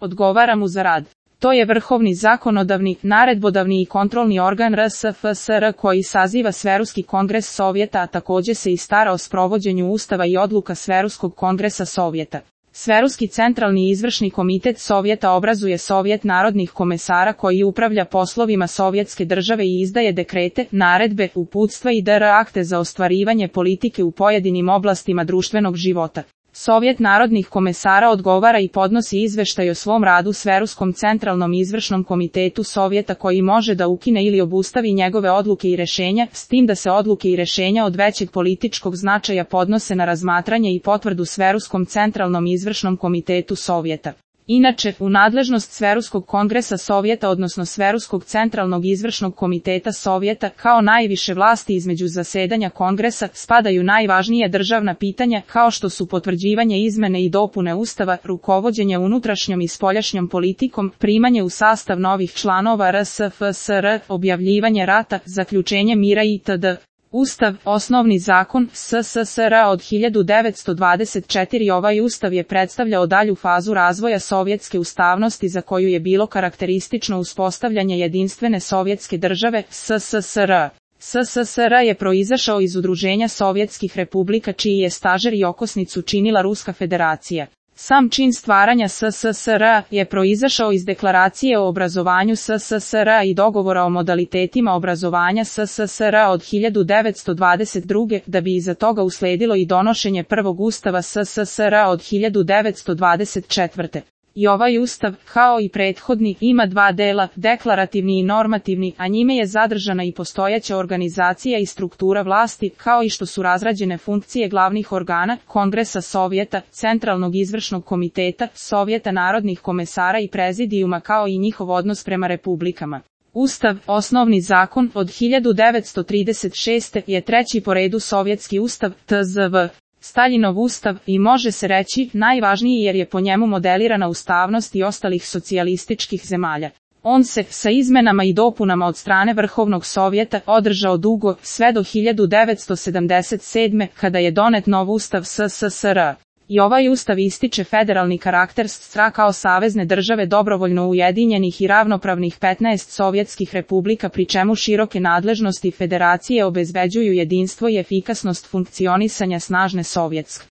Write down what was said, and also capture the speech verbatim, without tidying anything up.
odgovara mu za rad. To je vrhovni zakonodavni, naredbodavni i kontrolni organ R S F S R koji saziva Sveruski kongres Sovjeta, a takođe se i stara o sprovođenju ustava i odluka Sveruskog kongresa Sovjeta. Sveruski centralni izvršni komitet Sovjeta obrazuje Sovjet narodnih komesara koji upravlja poslovima Sovjetske države i izdaje dekrete, naredbe, uputstva i dr akte za ostvarivanje politike u pojedinim oblastima društvenog života. Sovjet narodnih komesara odgovara i podnosi izveštaj o svom radu Sveruskom centralnom izvršnom komitetu Sovjeta koji može da ukine ili obustavi njegove odluke i rešenja, s tim da se odluke i rešenja od većeg političkog značaja podnose na razmatranje i potvrdu Sveruskom centralnom izvršnom komitetu Sovjeta. Inače, u nadležnost Sveruskog kongresa Sovjeta odnosno Sveruskog centralnog izvršnog komiteta Sovjeta, kao najviše vlasti između zasedanja kongresa, spadaju najvažnije državna pitanja kao što su potvrđivanje izmene i dopune ustava, rukovođenje unutrašnjom i spoljašnjom politikom, primanje u sastav novih članova R S F S R, objavljivanje rata, zaključenje mira itd. Ustav, osnovni zakon S S S R od hiljadu devetsto dvadeset četvrte. Ovaj ustav je predstavljao dalju fazu razvoja sovjetske ustavnosti za koju je bilo karakteristično uspostavljanje jedinstvene sovjetske države, S S S R. S S S R je proizašao iz udruženja sovjetskih republika čiji je stažer i okosnicu činila Ruska federacija. Sam čin stvaranja S S S R je proizašao iz deklaracije o obrazovanju S S S R i dogovora o modalitetima obrazovanja S S S R od hiljadu devetsto dvadeset druge. da bi iza toga usledilo i donošenje prvog ustava S S S R od hiljadu devetsto dvadeset četvrte. I ovaj ustav, kao i prethodni, ima dva dela, deklarativni i normativni, a njime je zadržana i postojeća organizacija i struktura vlasti, kao i što su razrađene funkcije glavnih organa, Kongresa Sovjeta, Centralnog izvršnog komiteta, Sovjeta narodnih komesara i prezidijuma kao i njihov odnos prema republikama. Ustav, osnovni zakon, od hiljadu devetsto trideset šeste. je treći po redu sovjetski ustav, T Z V. Staljinov ustav, i može se reći, najvažniji jer je po njemu modelirana ustavnost i ostalih socijalističkih zemalja. On se, sa izmenama i dopunama od strane Vrhovnog Sovjeta, održao dugo, sve do hiljadu devetsto sedamdeset sedme. kada je donet nov ustav S S S R. I ovaj ustav ističe federalni karakter S S R A kao savezne države dobrovoljno ujedinjenih i ravnopravnih petnaest sovjetskih republika pri čemu široke nadležnosti federacije obezbeđuju jedinstvo i efikasnost funkcionisanja snažne sovjetske